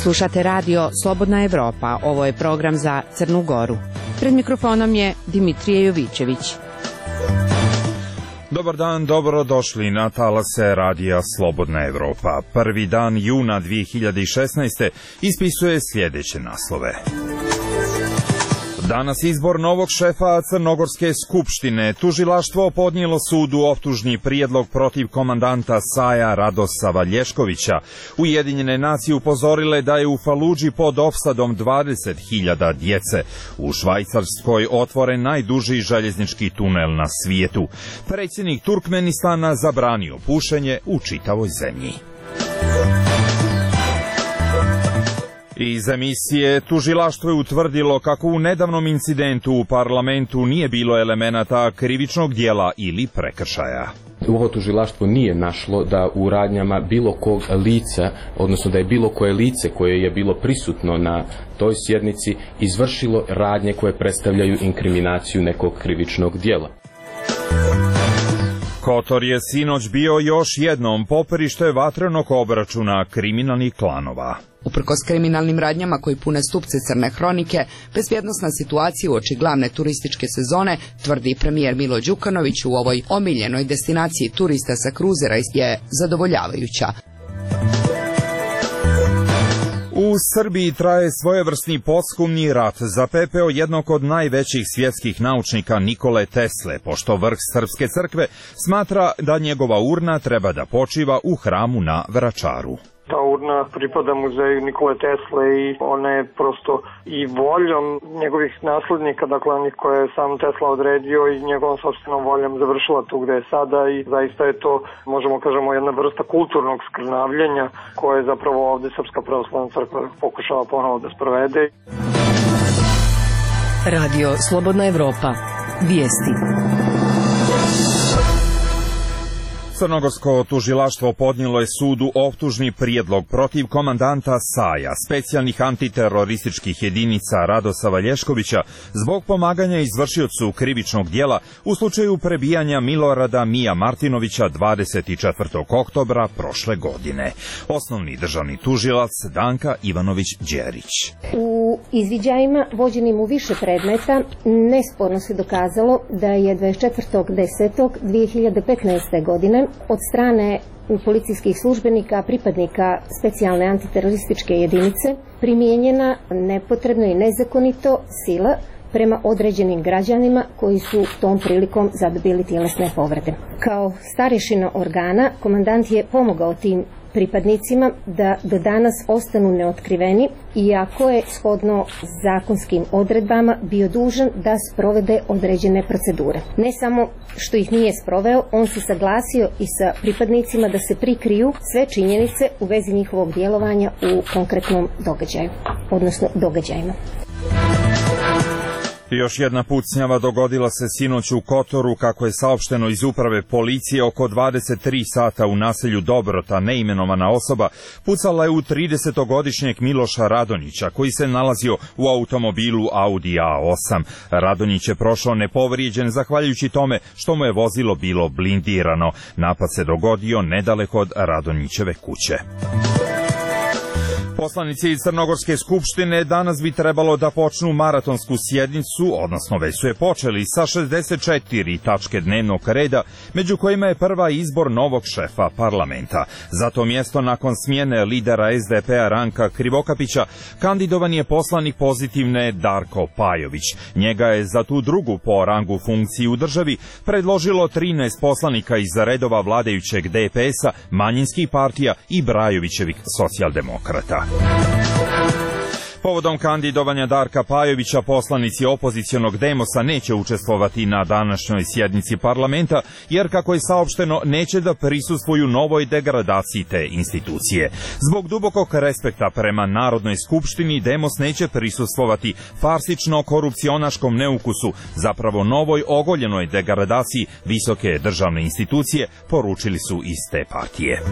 Slušate radio Slobodna Evropa, ovo je program za Crnu Goru. Pred mikrofonom je Dimitrije Jovićević. Dobar dan, dobrodošli na talase radija Slobodna Evropa. Prvi dan juna 2016. ispisuje sljedeće naslove. Danas izbor novog šefa Crnogorske skupštine. Tužilaštvo podnijelo sudu optužni prijedlog protiv komandanta SAJ-a Radosa Valješkovića. Ujedinjene nacije upozorile da je u Faludži pod opsadom 20.000 djece. U Švajcarskoj otvoren najduži željeznički tunel na svijetu. Predsjednik Turkmenistana zabranio pušenje u čitavoj zemlji. Iz emisije tužilaštvo je utvrdilo kako u nedavnom incidentu u parlamentu nije bilo elemenata krivičnog dijela ili prekršaja. Ovo tužilaštvo nije našlo da u radnjama bilo kog lica, odnosno da je bilo koje lice koje je bilo prisutno na toj sjednici izvršilo radnje koje predstavljaju inkriminaciju nekog krivičnog dijela. Kotor je sinoć bio još jednom poperište vatrenog obračuna kriminalnih klanova. Uprkos kriminalnim radnjama koji pune stupce Crne hronike, bezbjednosna situacija uoči glavne turističke sezone, tvrdi premijer Milo Đukanović u ovoj omiljenoj destinaciji turista sa kruzera, je zadovoljavajuća. U Srbiji traje svojevrsni posthumni rat za pepeo jednog od najvećih svjetskih naučnika Nikole Tesle, pošto vrh Srpske crkve smatra da njegova urna treba da počiva u hramu na Vračaru. Ta urna pripada muzeju Nikole Tesle i ona je prosto i voljom njegovih naslednika, dakle onih koje je sam Tesla odredio i njegovom sopstvenom voljom završila tu gde je sada i zaista je to, možemo kažemo, jedna vrsta kulturnog skrnavljenja koje je zapravo ovde Srpska pravoslavna crkva pokušava ponovo da sprovede. Radio Slobodna Evropa. Vijesti. Crnogorsko tužilaštvo podnijelo je sudu optužni prijedlog protiv komandanta SAJ-a, specijalnih antiterorističkih jedinica Radosa Valješkovića, zbog pomaganja izvršiocu krivičnog dijela u slučaju prebijanja Milorada Mija Martinovića 24. oktobra prošle godine. Osnovni državni tužilac Danka Ivanović-Đerić. U izviđajima vođenim u više predmeta nesporno se dokazalo da je 24.10.2015. godine od strane policijskih službenika, pripadnika specijalne antiterorističke jedinice primijenjena nepotrebno i nezakonito sila prema određenim građanima koji su tom prilikom zadobili tjelesne povrede. Kao starješina organa, komandant je pomogao tim pripadnicima da do danas ostanu neotkriveni, iako je shodno zakonskim odredbama bio dužan da sprovede određene procedure. Ne samo što ih nije sproveo, on se saglasio i sa pripadnicima da se prikriju sve činjenice u vezi njihovog djelovanja u konkretnom događaju, odnosno događajima. Još jedna pucnjava dogodila se sinoć u Kotoru, kako je saopšteno iz uprave policije. Oko 23 sata u naselju Dobrota neimenovana osoba pucala je u 30-godišnjeg Miloša Radonjića, koji se nalazio u automobilu Audi A8. Radonjić je prošao nepovrijeđen zahvaljujući tome što mu je vozilo bilo blindirano. Napad se dogodio nedaleko od Radonjićeve kuće. Poslanici Crnogorske skupštine danas bi trebalo da počnu maratonsku sjednicu, odnosno već su je počeli, sa 64 tačke dnevnog reda, među kojima je prva izbor novog šefa parlamenta. Za to mjesto nakon smjene lidera SDP-a Ranka Krivokapića kandidovan je poslanik Pozitivne Darko Pajović. Njega je za tu drugu po rangu funkciju u državi predložilo 13 poslanika iz redova vladajućeg DPS-a, manjinskih partija i Brajovićevih socijaldemokrata. Povodom kandidovanja Darka Pajovića, poslanici opozicionog Demosa neće učestvovati na današnjoj sjednici parlamenta, jer, kako je saopšteno, neće da prisustvuju novoj degradaciji te institucije. Zbog dubokog respekta prema Narodnoj skupštini, Demos neće prisustvovati farsično-korupcionaškom neukusu, zapravo novoj ogoljenoj degradaciji visoke državne institucije, poručili su iz te partije.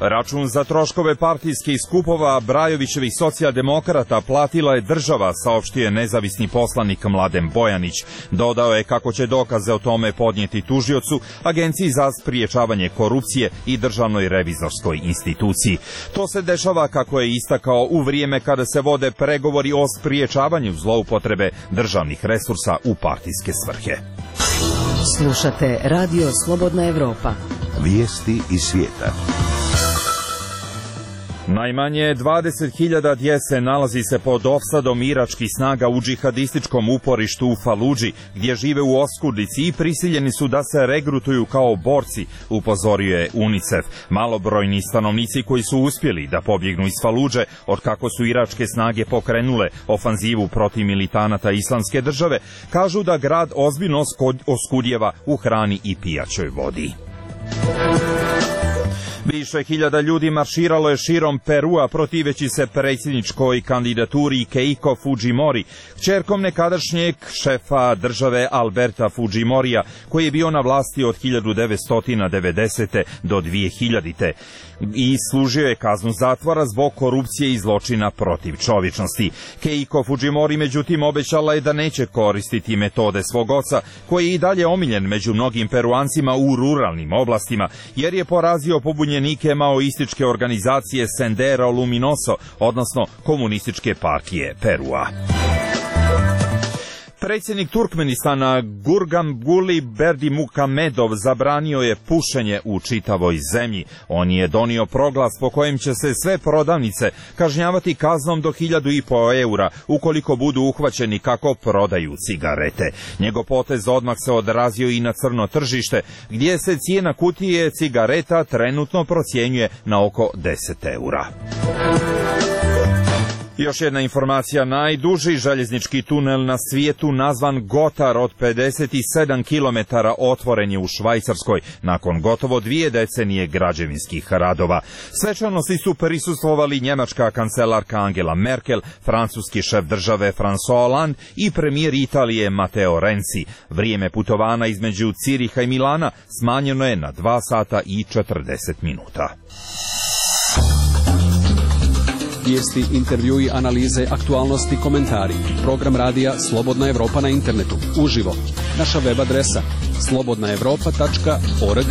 Račun za troškove partijskih skupova Brajovićevih socijaldemokrata platila je država, saopštio je nezavisni poslanik Mladen Bojanić. Dodao je kako će dokaze o tome podnijeti tužiocu, Agenciji za spriječavanje korupcije i Državnoj revizorskoj instituciji. To se dešava, kako je istakao, u vrijeme kada se vode pregovori o spriječavanju zloupotrebe državnih resursa u partijske svrhe. Slušate Radio Slobodna Evropa. Vijesti iz svijeta. Najmanje 20.000 djece nalazi se pod opsadom iračkih snaga u džihadističkom uporištu u Faludži, gdje žive u oskudici i prisiljeni su da se regrutuju kao borci, upozorio je UNICEF. Malobrojni stanovnici koji su uspjeli da pobjegnu iz Faludže od kako su iračke snage pokrenule ofanzivu protiv militanata Islamske države, kažu da grad ozbiljno oskudjeva u hrani i pijaćoj vodi. Više hiljada ljudi marširalo je širom Perua protiveći se predsjedničkoj kandidaturi Keiko Fujimori, kćerkom nekadašnjeg šefa države Alberta Fujimorija, koji je bio na vlasti od 1990. do 2000. i služio je kaznu zatvora zbog korupcije i zločina protiv čovječnosti. Keiko Fujimori međutim obećala je da neće koristiti metode svog oca, koji je i dalje omiljen među mnogim Peruancima u ruralnim oblastima, jer je porazio pobunjenike maoističke organizacije Sendero Luminoso, odnosno Komunističke partije Perua. Predsjednik Turkmenistana Gurbanguly Berdimuhamedov zabranio je pušenje u čitavoj zemlji. On je donio proglas po kojem će se sve prodavnice kažnjavati kaznom do 1.500 eura ukoliko budu uhvaćeni kako prodaju cigarete. Njegov potez odmah se odrazio i na crno tržište, gdje se cijena kutije cigareta trenutno procjenjuje na oko 10 eura. Još jedna informacija, najduži željeznički tunel na svijetu nazvan Gotar od 57 km otvoren je u Švajcarskoj nakon gotovo 2 decenije građevinskih radova. Svečanosti su prisustvovali njemačka kancelarka Angela Merkel, francuski šef države François Hollande i premijer Italije Matteo Renzi. Vrijeme putovanja između Ciriha i Milana smanjeno je na 2 sata i 40 minuta. Vijesti, intervjui, analize, aktualnosti, komentari. Program radija Slobodna Evropa na internetu. Uživo. Naša web adresa slobodnaevropa.org.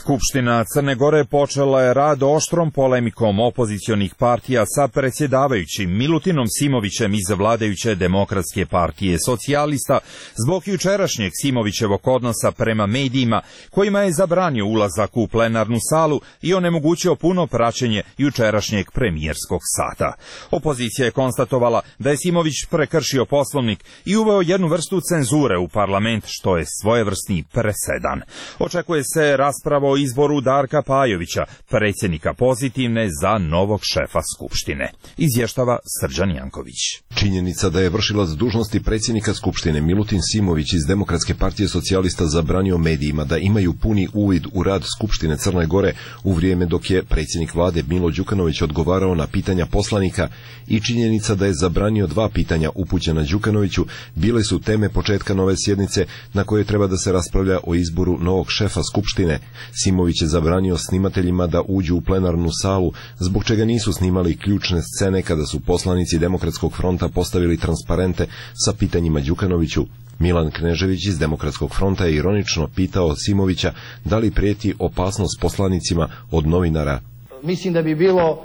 Skupština Crne Gore počela je rad oštrom polemikom opozicionih partija sa predsjedavajućim Milutinom Simovićem iz vladajuće Demokratske partije socijalista zbog jučerašnjeg Simovićevog odnosa prema medijima, kojima je zabranio ulazak u plenarnu salu i onemogućio puno praćenje jučerašnjeg premijerskog sata. Opozicija je konstatovala da je Simović prekršio Poslovnik i uveo jednu vrstu cenzure u parlament, što je svojevrsni presedan. Očekuje se rasprava o izboru Darka Pajovića, predsjednika Pozitivne, za novog šefa Skupštine. Izvještava Srđan Janković. Činjenica da je vršilac dužnosti predsjednika Skupštine Milutin Simović iz Demokratske partije socijalista zabranio medijima da imaju puni uvid u rad Skupštine Crne Gore u vrijeme dok je predsjednik vlade Milo Đukanović odgovarao na pitanja poslanika i činjenica da je zabranio 2 pitanja upućena Đukanoviću bile su teme početka nove sjednice na kojoj treba da se raspravlja o izboru novog šefa Skupštine. Simović je zabranio snimateljima da uđu u plenarnu salu, zbog čega nisu snimali ključne scene kada su poslanici Demokratskog fronta postavili transparente sa pitanjima Đukanoviću. Milan Knežević iz Demokratskog fronta je ironično pitao Simovića da li prijeti opasnost poslanicima od novinara. Mislim da bi bilo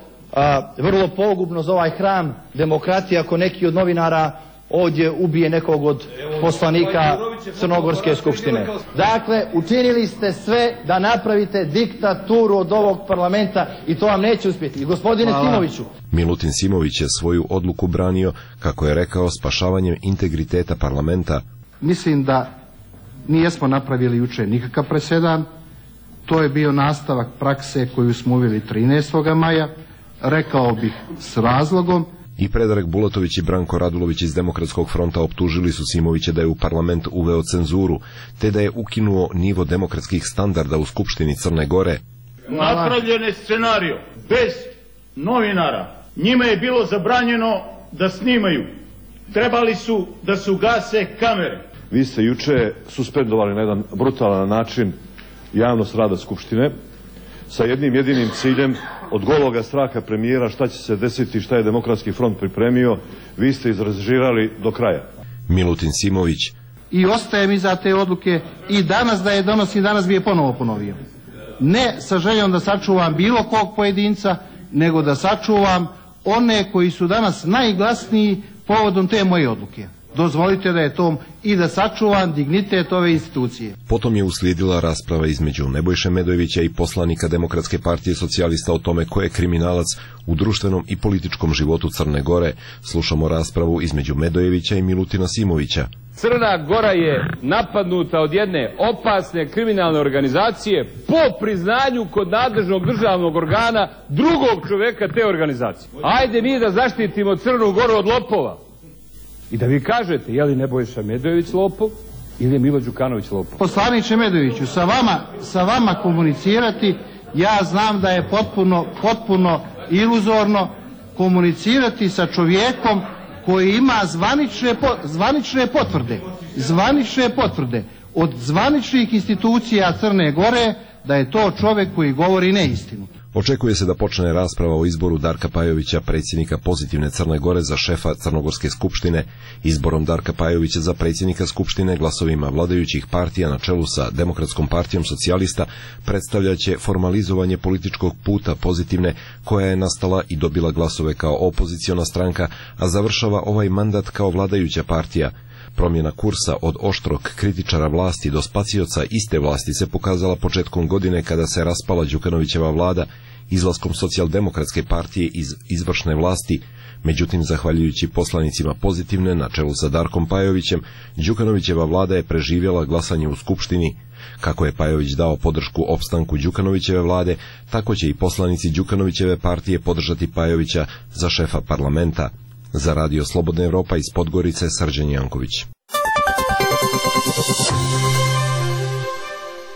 vrlo pogubno za ovaj hram demokratije ako neki od novinara ovdje ubije nekog od poslanika Crnogorske skupštine. Dakle, učinili ste sve da napravite diktaturu od ovog parlamenta i to vam neće uspjeti. I gospodine Simoviću. Milutin Simović je svoju odluku branio, kako je rekao, spašavanjem integriteta parlamenta. Mislim da nijesmo napravili jučer nikakav presedan. To je bio nastavak prakse koju smo uveli 13. maja. Rekao bih s razlogom. I Predrag Bulatović i Branko Radulović iz Demokratskog fronta optužili su Simovića da je u parlament uveo cenzuru, te da je ukinuo nivo demokratskih standarda u Skupštini Crne Gore. Napravljen je scenario bez novinara. Njima je bilo zabranjeno da snimaju. Trebali su da se ugase kamere. Vi ste juče suspendovali na jedan brutalan način javnost rada Skupštine sa jednim jedinim ciljem, od gologa straha premijera šta će se desiti, šta je Demokratski front pripremio, vi ste izrežirali do kraja. Milutin Simović. I ostajem iza te odluke i danas da je donosim, danas bi je ponovo ponovio. Ne sa željom da sačuvam bilo kog pojedinca, nego da sačuvam one koji su danas najglasniji povodom te moje odluke. Dozvolite da je to i da sačuvam dignitet ove institucije. Potom je uslijedila rasprava između Nebojše Medojevića i poslanika Demokratske partije socijalista o tome ko je kriminalac u društvenom i političkom životu Crne Gore. Slušamo raspravu između Medojevića i Milutina Simovića. Crna Gora je napadnuta od jedne opasne kriminalne organizacije po priznanju kod nadležnog državnog organa drugog čoveka te organizacije. Ajde mi da zaštitimo Crnu Goru od lopova. I da vi kažete, je li Nebojša Medojević lopov ili je Milo Đukanović lopov? Poslaniče Medojeviću, sa vama komunicirati, ja znam da je potpuno iluzorno komunicirati sa čovjekom koji ima zvanične potvrde od zvaničnih institucija Crne Gore da je to čovjek koji govori neistinu. Očekuje se da počne rasprava o izboru Darka Pajovića, predsjednika Pozitivne Crne Gore, za šefa Crnogorske skupštine. Izborom Darka Pajovića za predsjednika skupštine glasovima vladajućih partija na čelu sa Demokratskom partijom socijalista predstavljaće formalizovanje političkog puta Pozitivne, koja je nastala i dobila glasove kao opoziciona stranka, a završava ovaj mandat kao vladajuća partija. Promjena kursa od oštrog kritičara vlasti do spacioca iste vlasti se pokazala početkom godine kada se raspala Đukanovićeva vlada izlaskom Socijaldemokratske partije iz izvršne vlasti. Međutim, zahvaljujući poslanicima Pozitivne na čelu sa Darkom Pajovićem, Đukanovićeva vlada je preživjela glasanje u Skupštini. Kako je Pajović dao podršku opstanku Đukanovićeve vlade, tako će i poslanici Đukanovićeve partije podržati Pajovića za šefa parlamenta. Za Radio Slobodna Evropa iz Podgorice, Srđan Janković.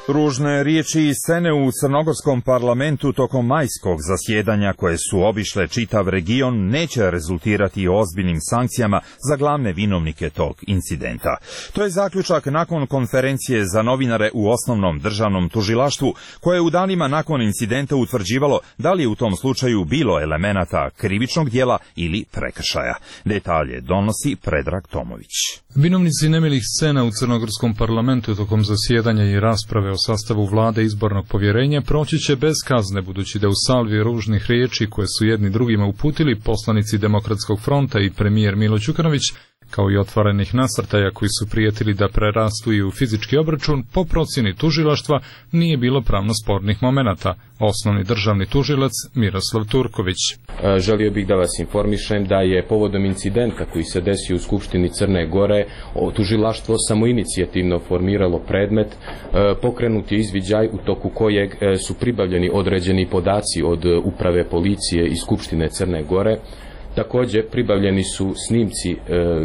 Ružne riječi i scene u crnogorskom parlamentu tokom majskog zasjedanja koje su obišle čitav region neće rezultirati ozbiljnim sankcijama za glavne vinovnike tog incidenta. To je zaključak nakon konferencije za novinare u osnovnom državnom tužilaštvu, koje je u danima nakon incidenta utvrđivalo da li je u tom slučaju bilo elemenata krivičnog dijela ili prekršaja. Detalje donosi Predrag Tomović. Vinovnici nemilih scena u crnogorskom parlamentu tokom zasjedanja i rasprave o sastavu vlade izbornog povjerenja proći će bez kazne, budući da u salvi ružnih riječi koje su jedni drugima uputili poslanici Demokratskog fronta i premijer Milo Đukanović, kao i otvorenih nasrtaja koji su prijetili da prerastu i u fizički obračun, po procjeni tužilaštva nije bilo pravno spornih momenata. Osnovni državni tužilac Miroslav Turković. Želio bih da vas informišem da je povodom incidenta koji se desio u Skupštini Crne Gore tužilaštvo samoinicijativno formiralo predmet, pokrenut je izviđaj u toku kojeg su pribavljeni određeni podaci od uprave policije i Skupštine Crne Gore. Također pribavljeni su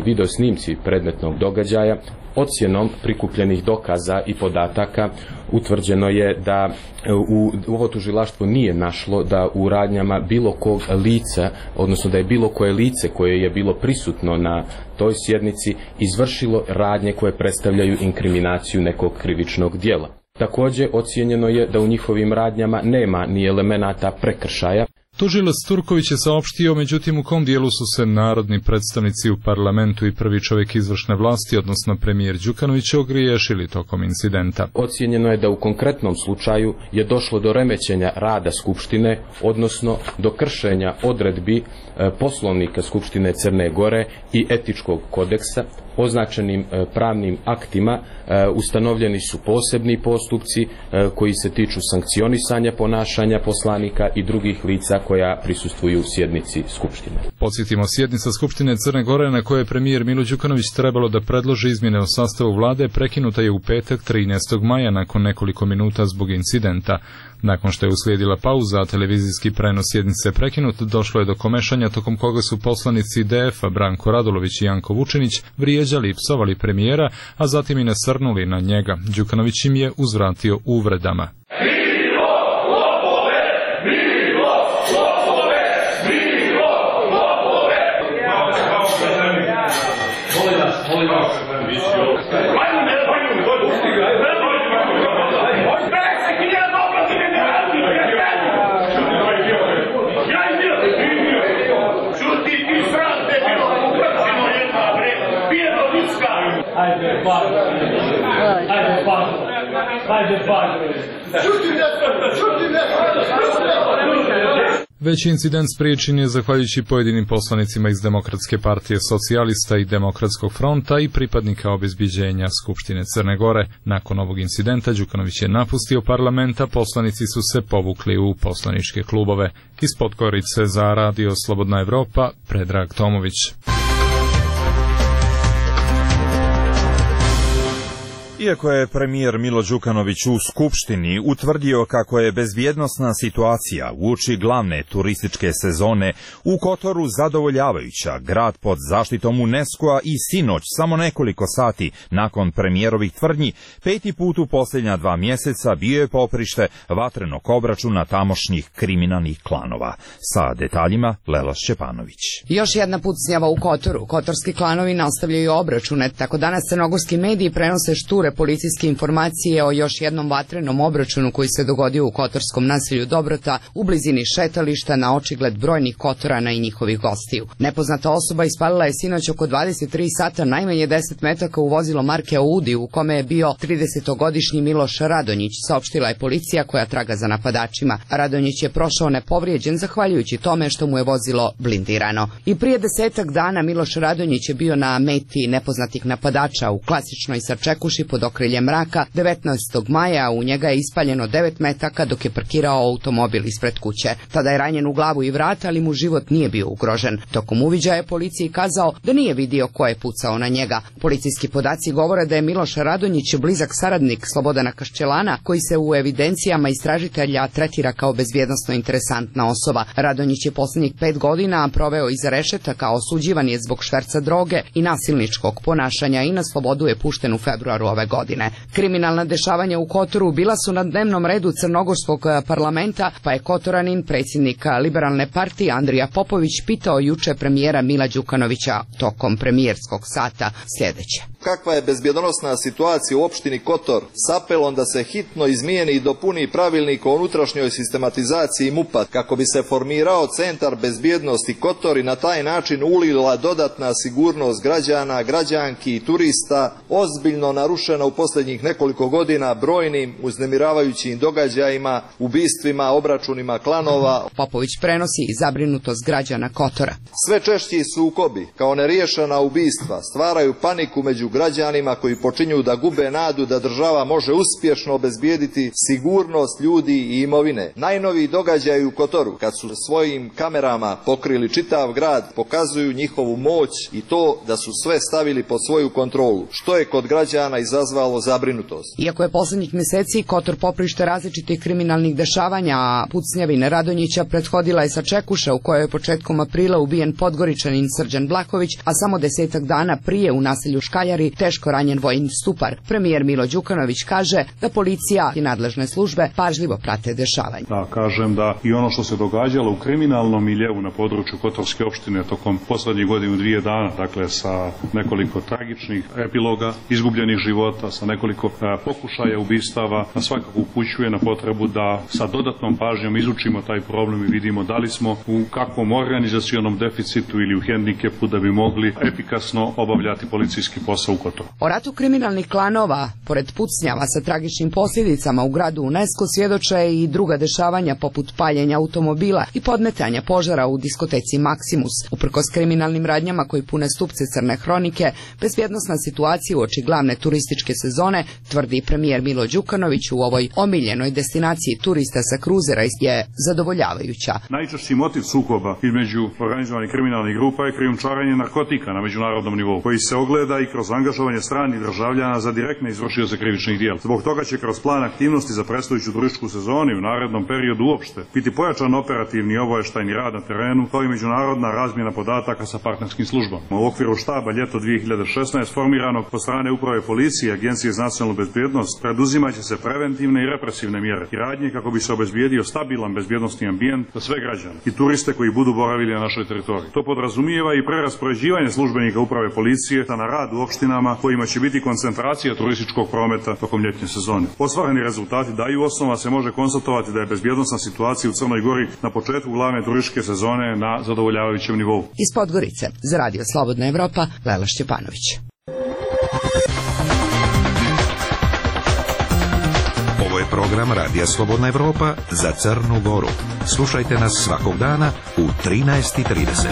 video snimci predmetnog događaja. Ocjenom prikupljenih dokaza i podataka utvrđeno je da ovo tužilaštvo nije našlo da u radnjama bilo kog lica, odnosno da je bilo koje lice koje je bilo prisutno na toj sjednici izvršilo radnje koje predstavljaju inkriminaciju nekog krivičnog djela. Također ocijenjeno je da u njihovim radnjama nema ni elemenata prekršaja. Tužilac Turković je saopštio, međutim, u kom dijelu su se narodni predstavnici u parlamentu i prvi čovjek izvršne vlasti, odnosno premijer Đukanović, ogriješili tokom incidenta. Ocijenjeno je da u konkretnom slučaju je došlo do remećenja rada Skupštine, odnosno do kršenja odredbi Poslovnika Skupštine Crne Gore i etičkog kodeksa. Označenim pravnim aktima ustanovljeni su posebni postupci koji se tiču sankcionisanja ponašanja poslanika i drugih lica koja prisustvuju sjednici Skupštine. Podsjetimo, sjednica Skupštine Crne Gore na kojoj je premijer Milo Đukanović trebalo da predloži izmjene o sastavu vlade prekinuta je u petak 13. maja nakon nekoliko minuta zbog incidenta. Nakon što je uslijedila pauza, a televizijski prenos sjednice prekinut, došlo je do komešanja tokom koga su poslanici DF-a Branko Radulović i Janko Vučinić vrijeđali i psovali premijera, a zatim i nasrnuli na njega. Đukanović im je uzvratio uvredama. Veći incident spriječen je zahvaljujući pojedinim poslanicima iz Demokratske partije socijalista i Demokratskog fronta i pripadnika obezbiđenja Skupštine Crne Gore. Nakon ovog incidenta Đukanović je napustio parlament, a poslanici su se povukli u poslaničke klubove. Iz Podgorice za Radio Slobodna Evropa, Predrag Tomović. Iako je premijer Milo Đukanović u Skupštini utvrdio kako je bezbjednosna situacija uoči glavne turističke sezone u Kotoru zadovoljavajuća, grad pod zaštitom UNESCO-a i sinoć, samo nekoliko sati nakon premijerovih tvrdnji, 5. put u posljednja 2 mjeseca bio je poprište vatrenog obračuna tamošnjih kriminalnih klanova. Sa detaljima Lela Šćepanović. Još jedna pucnjava u Kotoru. Kotorski klanovi nastavljaju obračune. Tako danas crnogorski mediji prenose šture policijske informacije o još jednom vatrenom obračunu koji se dogodio u kotorskom naselju Dobrota u blizini šetališta na očigled brojnih Kotorana i njihovih gostiju. Nepoznata osoba ispalila je sinoć oko 23 sata najmanje 10 metaka u vozilo marke Audi u kome je bio 30-godišnji Miloš Radonjić, saopštila je policija koja traga za napadačima. Radonjić je prošao nepovrijeđen zahvaljujući tome što mu je vozilo blindirano. I prije 10 dana Miloš Radonjić je bio na meti nepoznatih napadača u klasičnoj sačekuši pod okriljem mraka 19. maja, u njega je ispaljeno 9 metaka dok je parkirao automobil ispred kuće. Tada je ranjen u glavu i vrat, ali mu život nije bio ugrožen. Tokom uviđaja je policiji kazao da nije vidio ko je pucao na njega. Policijski podaci govore da je Miloš Radonjić blizak saradnik Slobodana Kaščelana, koji se u evidencijama istražitelja tretira kao bezbjednosno interesantna osoba. Radonjić je posljednjih 5 godina proveo iza rešetaka, osuđivan je zbog šverca droge i nasilničkog ponašanja i na slobodu je pušten u februaru ove godine. Kriminalna dešavanja u Kotoru bila su na dnevnom redu crnogorskog parlamenta, pa je Kotoranin, predsjednik Liberalne partije Andrija Popović, pitao juče premijera Mila Đukanovića tokom premijerskog sata sljedeće. Kakva je bezbjednosna situacija u opštini Kotor s apelom da se hitno izmijeni i dopuni pravilnik o unutrašnjoj sistematizaciji MUP-a kako bi se formirao centar bezbjednosti Kotor i na taj način ulila dodatna sigurnost građana, građanki i turista, ozbiljno narušena u posljednjih nekoliko godina brojnim uznemiravajućim događajima, ubistvima, obračunima klanova. Popović prenosi i zabrinutost građana Kotora. Sve češći sukobi, kao neriješena ubistva, stvaraju paniku među građanima koji počinju da gube nadu da država može uspješno obezbijediti sigurnost ljudi i imovine. Najnoviji događaji u Kotoru, kad su svojim kamerama pokrili čitav grad, pokazuju njihovu moć i to da su sve stavili pod svoju kontrolu, što je kod građana izazvalo zabrinutost. Iako je posljednjih mjeseci Kotor poprište različitih kriminalnih dešavanja, a pucnjavine Radonjića prethodila je sačekuša u kojoj je početkom aprila ubijen Podgoričanin Srđan Blaković, a samo 10 dana prije u naselju Škaljari teško ranjen vojni stupar. Premijer Milo Đukanović kaže da policija i nadležne službe pažljivo prate dešavanje. Da kažem da i ono što se događalo u kriminalnom miljeu na području Kotorske opštine tokom posljednjih godinu 2 dana, dakle sa nekoliko tragičnih epiloga, izgubljenih života, sa nekoliko pokušaja ubistava, svakako upućuje na potrebu da sa dodatnom pažnjom izučimo taj problem i vidimo da li smo u kakvom organizacionom deficitu ili u hendikepu da bi mogli efikasno obavljati policijski posao u Kotoru. O ratu kriminalnih klanova, pored pucnjava sa tragičnim posljedicama u gradu UNESCO, svjedoče i druga dešavanja poput paljenja automobila i podmetanja požara u diskoteci Maximus. Uprkos kriminalnim radnjama koji pune stupce crne hronike, bezbjednosna situacija uoči glavne turističke sezone, tvrdi premijer Milo Đukanović u ovoj omiljenoj destinaciji turista sa kruzera, je zadovoljavajuća. Najčešći motiv sukoba između organizovanih kriminalnih grupa je krijumčarenje narkotika na međunarodnom nivou, koji se ogleda i kroz angažovanje stranih državljana za direktne izvršioce krivičnih djela. Zbog toga će kroz plan aktivnosti za predstojeću turističku sezonu u narednom periodu uopšte biti pojačan operativni i obavještajni rad na terenu, kao i međunarodna razmjena podataka sa partnerskim službama. U okviru štaba ljeto 2016 formiranog po strane Uprave policije i Agencije za nacionalnu bezbjednost preduzimat će se preventivne i represivne mjere i radnje kako bi se obezbijedio stabilan bezbjednosni ambijent za sve građane i turiste koji budu boravili na našoj teritoriji. To podrazumijeva i preraspoređivanje službenika Uprave policije na rad u opštinama kojima će biti koncentracija turističkog prometa tokom ljetnje sezone. Ostvareni rezultati daju osnova se može konstatovati da je bezbjednosna situacija u Crnoj Gori na početku glavne turističke sezone na zadovoljavajućem nivou. Iz Podgorice za Radio Slobodna Evropa, Lela Šćepanović. program Radija Slobodna Evropa za Crnu Goru. Slušajte nas svakog dana u 13:30.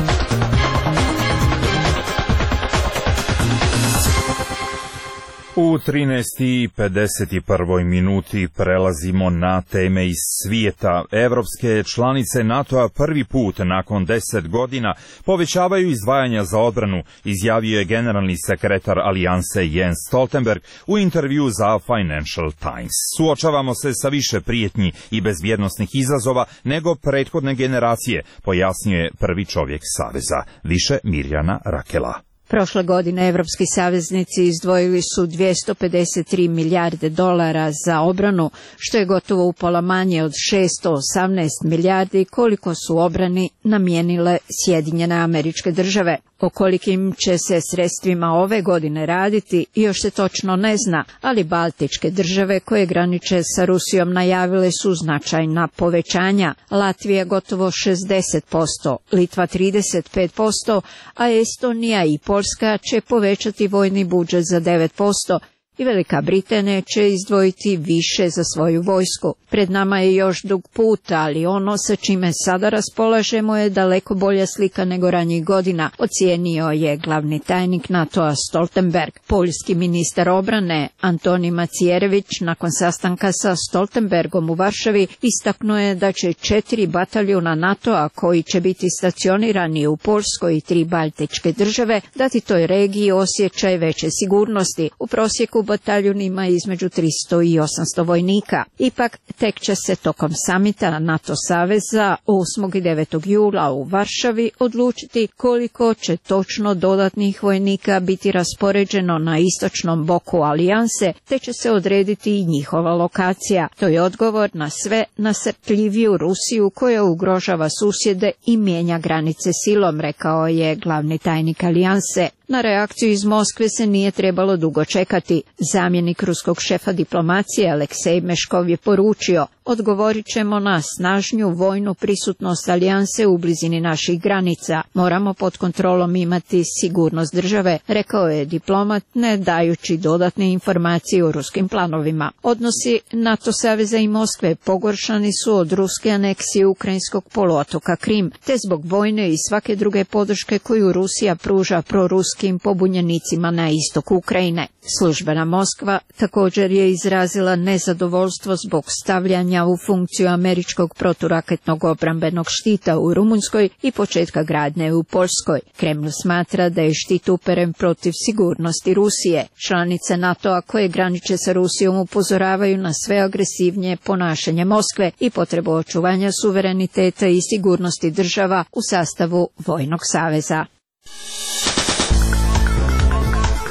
U 13:51 minuti prelazimo na teme iz svijeta. Evropske članice NATO-a prvi put nakon 10 godina povećavaju izdvajanja za odbranu, izjavio je generalni sekretar alijanse Jens Stoltenberg u intervju za Financial Times. Suočavamo se sa više prijetnji i bezbjednosnih izazova nego prethodne generacije, pojasnio je prvi čovjek Saveza. Više Mirjana Rakela. Prošle godine evropski saveznici izdvojili su 253 milijarde dolara za obranu, što je gotovo upola manje od 618 milijardi koliko su obrani namijenile Sjedinjene Američke Države. O kolikim će se sredstvima ove godine raditi još se točno ne zna, ali Baltičke države koje graniče sa Rusijom najavile su značajna povećanja. Latvija gotovo 60%, Litva 35%, a Estonija i Poljska će povećati vojni budžet za 9%. I Velika Britanija će izdvojiti više za svoju vojsku. Pred nama je još dug put, ali ono sa čime sada raspolažemo je daleko bolja slika nego ranjih godina, ocijenio je glavni tajnik NATO-a Stoltenberg. Poljski ministar obrane Antoni Macierević nakon sastanka sa Stoltenbergom u Varšavi istaknuo je da će 4 bataljuna NATO-a koji će biti stacionirani u Poljskoj i 3 baltičke države dati toj regiji osjećaj veće sigurnosti. U prosjeku bataljun ima između 300 i 800 vojnika. Ipak, tek će se tokom samita NATO saveza 8. i 9. jula u Varšavi odlučiti koliko će točno dodatnih vojnika biti raspoređeno na istočnom boku alijanse, te će se odrediti i njihova lokacija. To je odgovor na sve nasrtljiviju Rusiju koja ugrožava susjede i mijenja granice silom, rekao je glavni tajnik alijanse. Na reakciju iz Moskve se nije trebalo dugo čekati. Zamjenik ruskog šefa diplomacije Aleksej Meškov je poručio: odgovorit ćemo na snažnju vojnu prisutnost alijanse u blizini naših granica. Moramo pod kontrolom imati sigurnost države, rekao je diplomat, ne dajući dodatne informacije o ruskim planovima. Odnosi NATO saveza i Moskve pogoršani su od ruske aneksije ukrajinskog poluotoka Krim, te zbog vojne i svake druge podrške koju Rusija pruža proruskim pobunjenicima na istoku Ukrajine. Službena Moskva također je izrazila nezadovoljstvo zbog stavljanja u funkciju američkog proturaketnog obrambenog štita u Rumunjskoj i početka gradnje u Poljskoj. Kreml smatra da je štit uperen protiv sigurnosti Rusije. Članice NATO-a koje graniče sa Rusijom upozoravaju na sve agresivnije ponašanje Moskve i potrebu očuvanja suvereniteta i sigurnosti država u sastavu Vojnog saveza.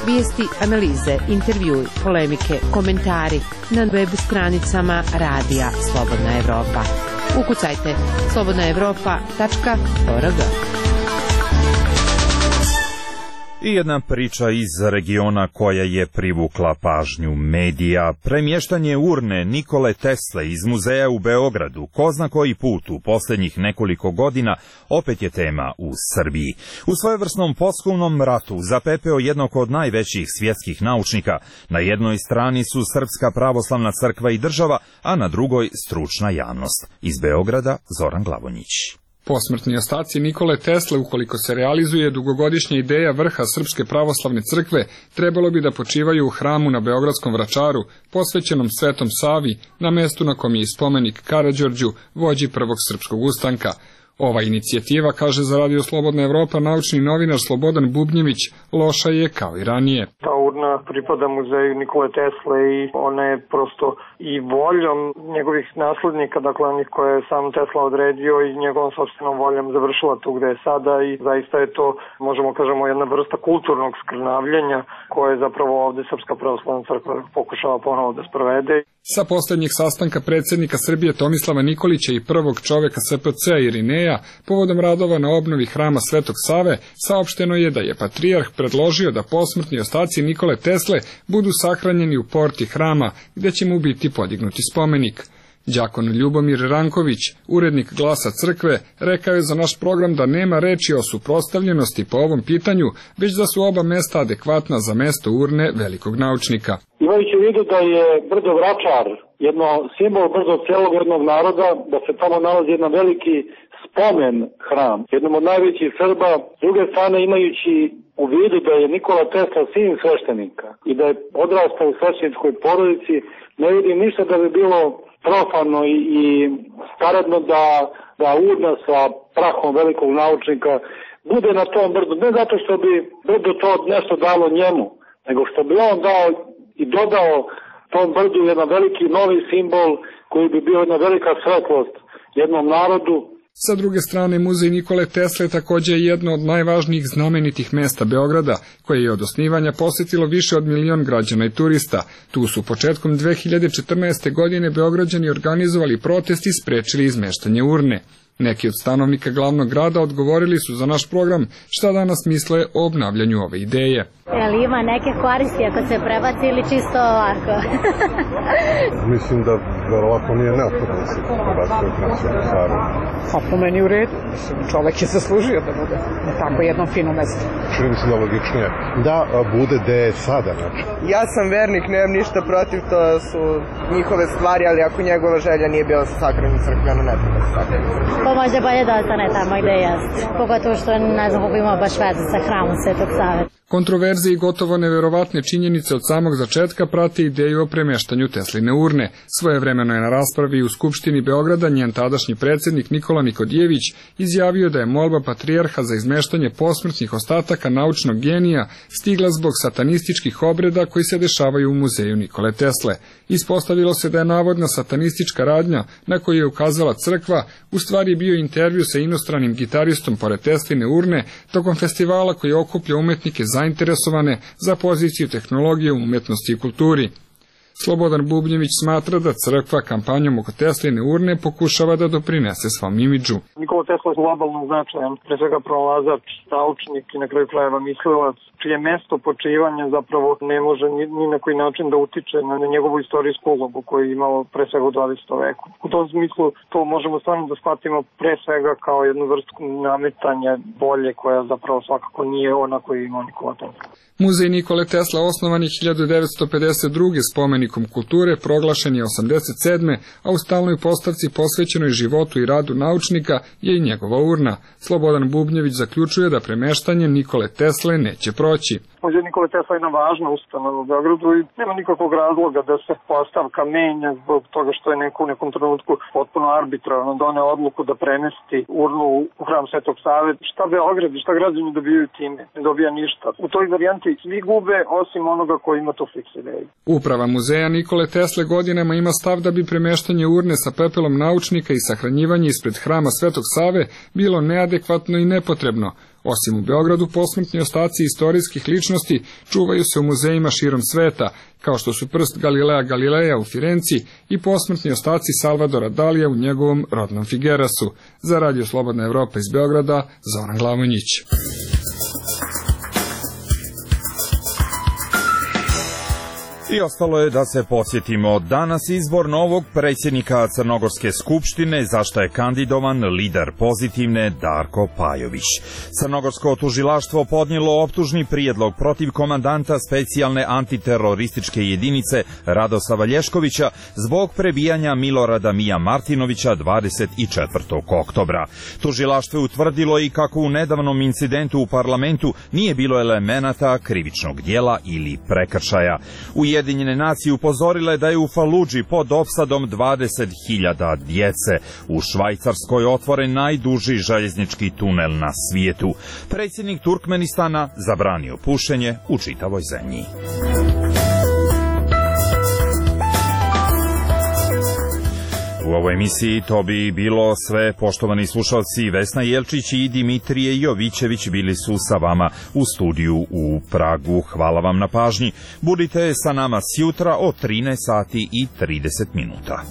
Vijesti, analize, intervjui, polemike, komentari na web stranicama Radija Slobodna Evropa. Ukucajte slobodnaevropa.org. I jedna priča iz regiona koja je privukla pažnju medija. Premještanje urne Nikole Tesle iz muzeja u Beogradu, ko zna koji put u posljednjih nekoliko godina, opet je tema u Srbiji. U svojevrsnom poslovnom ratu zapepeo jednog od najvećih svjetskih naučnika. Na jednoj strani su Srpska pravoslavna crkva i država, a na drugoj stručna javnost. Iz Beograda Zoran Glavonjić. Posmrtni ostaci Nikole Tesle, ukoliko se realizuje dugogodišnja ideja vrha Srpske pravoslavne crkve, trebalo bi da počivaju u hramu na Beogradskom Vračaru, posvećenom Svetom Savi, na mestu na kom je spomenik Karađorđu, vođi prvog srpskog ustanka. Ova inicijativa, kaže za Radio Slobodna Evropa naučni novinar Slobodan Bubnjević, loša je kao i ranije. Ta urna pripada muzeju Nikole Tesle i ona je prosto i voljom njegovih naslednika, dakle onih koje je sam Tesla odredio i njegovom sopstvenom voljom završila tu gde je sada i zaista je to, možemo kažemo, jedna vrsta kulturnog skrnavljenja koje je zapravo ovde Srpska pravoslavna crkva pokušava ponovo da sprovede. Sa posljednjeg sastanka predsjednika Srbije Tomislava Nikolića i prvog čoveka SPC Irineja povodom radova na obnovi hrama Svetog Save, saopšteno je da je patrijarh predložio da posmrtni ostaci Nikole Tesle budu sahranjeni u porti hrama, gde će mu biti podignuti spomenik. Đakon Ljubomir Ranković, urednik Glasa crkve, rekao je za naš program da nema reči o suprotstavljenosti po ovom pitanju, već da su oba mesta adekvatna za mesto urne velikog naučnika. Imajući u vidu da je brdo Vračar jedno simbol brdo celog jednog naroda, da se tamo nalazi jedan veliki spomen hram, jednom od najvećih Srba, s druge strane imajući u vidu da je Nikola Tesla sin sveštenika i da je odrastao u svešteničkoj porodici, ne vidim ništa da bi bilo profano i skaradno da urna sa prahom velikog naučnika bude na tom brdu, ne zato što bi brdo to nešto dalo njemu, nego što bi on dao i dodao tom brdu jedan veliki novi simbol koji bi bio jedna velika svetlost jednom narodu. Sa druge strane, muzej Nikole Tesle također je jedno od najvažnijih znamenitih mesta Beograda, koje je od osnivanja posjetilo više od 1 milion građana i turista. Tu su početkom 2014. godine Beograđani organizovali protest i sprečili izmeštanje urne. Neki od stanovnika glavnog grada odgovorili su za naš program šta danas misle o obnavljanju ove ideje. Jel ima neke koristi ako se prebaci ili čisto ovako? Mislim da verovatno nije neophodno da se prebaci u Nacionalnu salu. A po meni u redu. Čovek je zaslužio da bude na tako jednom fino mesto. Čini mi se da logičnije da bude gde je sada. Znači. Ja sam vernik, nemam ništa protiv, to su njihove stvari, ali ako njegova želja nije bila sa sakranim crkveno, ne treba sa sakranim crkveno. Pa možda bolje da ostane tamo gde jeste. Pogotovo što ne znam kako ima baš veze sa hramom Svetog Save. Kontroverze i gotovo neverovatne činjenice od samog začetka prate ideju o premještanju Tesline urne. Svojevremeno je na raspravi u Skupštini Beograda njen tadašnji predsjednik Nikola Nikodijević izjavio da je molba patrijarha za izmeštanje posmrtnih ostataka naučnog genija stigla zbog satanističkih obreda koji se dešavaju u muzeju Nikole Tesle. Ispostavilo se da je navodna satanistička radnja na koju je ukazala crkva u stvari bio intervju sa inostranim gitaristom pored Tesline urne tokom festivala koji okuplja umetnike zainteresovane za poziciju tehnologije, umjetnosti i kulturi. Slobodan Bubnjević smatra da crkva kampanjom oko Tesline urne pokušava da doprinese svom imidžu. Nikola Tesla je globalno značajan, pre svega pronalazač, naučnik i na kraju krajeva mislilac, čije mesto počivanja zapravo ne može ni na koji način da utiče na njegovu istorijsku ulogu koju je imao pre svega u 20. veku. U tom smislu to možemo stvarno da shvatimo pre svega kao jednu vrstu nametanja bolje koja zapravo svakako nije ona koju je imao Nikola Tesla. Muzej Nikole Tesla osnovan je 1952. spomenikom kulture, proglašen je 87. a u stalnoj postavci posvećenoj životu i radu naučnika je i njegova urna. Slobodan Bubnjević zaključuje da premeštanje Nikole Tesle neće proći. Muzej Nikole Tesla je jedna važna ustanova u Beogradu i nema nikakvog razloga da se postavka menja zbog toga što je neko u nekom trenutku potpuno arbitrarno doneo odluku da premesti urnu u hram Svetog Save. Šta Beograd i šta građani dobijaju time? Ne dobija ništa. U toj varijanti svi gube osim onoga koji ima tu fiks ideju. Uprava muzeja Nikole Tesle godinama ima stav da bi premeštanje urne sa pepelom naučnika i sahranjivanje ispred hrama Svetog Save bilo neadekvatno i nepotrebno. Osim u Beogradu, posmrtni ostaci istorijskih ličnosti čuvaju se u muzejima širom sveta, kao što su prst Galilea Galileja u Firenci i posmrtni ostaci Salvadora Dalija u njegovom rodnom Figerasu. Za Radio Slobodna Evropa iz Beograda, Zoran Glavonjić. I ostalo je da se podsjetimo danas izbor novog predsjednika Crnogorske skupštine, za što je kandidovan lider Pozitivne Darko Pajović. Crnogorsko tužilaštvo podnijelo optužni prijedlog protiv komandanta specijalne antiterorističke jedinice Radosava Lješkovića zbog prebijanja Milorada Mija Martinovića 24. oktobra. Tužilaštvo je utvrdilo i kako u nedavnom incidentu u parlamentu nije bilo elemenata krivičnog djela ili prekršaja. Ujedinjene nacije upozorile da je u Faludži pod opsadom 20.000 djece. U Švajcarskoj otvoren najduži željeznički tunel na svijetu. Predsjednik Turkmenistana zabranio pušenje u čitavoj zemlji. U ovoj emisiji to bi bilo sve, poštovani slušalci. Vesna Jelčić i Dimitrije Jovićević bili su sa vama u studiju u Pragu. Hvala vam na pažnji. Budite sa nama sjutra o 13 sati i 30 minuta.